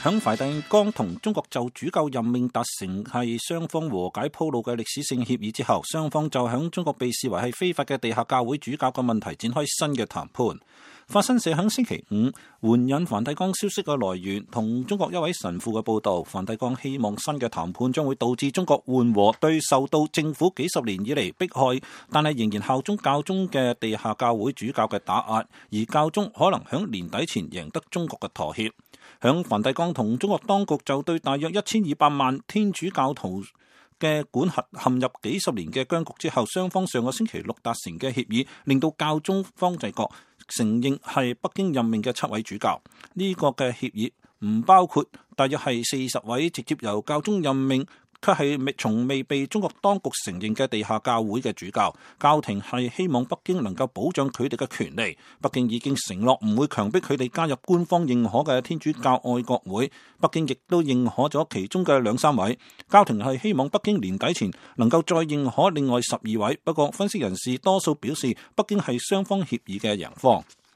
響梵蒂岡同中國就主教任命達成係雙方和解鋪路嘅歷史性協議之後，雙方就響中國被視為係非法嘅地下教會主教嘅問題展開新嘅談判。法新社響星期五援引梵蒂岡消息嘅來源同中國一位神父嘅報道，梵蒂岡希望新嘅談判將會導致中國緩和對受到政府幾十年以嚟迫害但係仍然效忠教宗嘅地下教會主教嘅打壓，而教宗可能響年底前贏得中國嘅妥協。響梵蒂岡同中國當局就對大約1200萬天主教徒嘅管轄陷入幾十年嘅僵局之後，雙方上個星期六達成嘅協議，令到教宗方濟各承認係北京任命嘅7位主教。呢個嘅協議唔包括大約係40位直接由教宗任命，卻係從未被中國當局承認嘅地下教會嘅主教。教廷係希望北京能夠保障佢哋嘅權利。北京已經承諾唔會強迫佢哋加入官方認可嘅天主教愛國會。北京亦都認可咗其中嘅2-3位。教廷係希望北京年底前能夠再認可另外12位。不過分析人士多數表示，北京係雙方協議嘅贏方。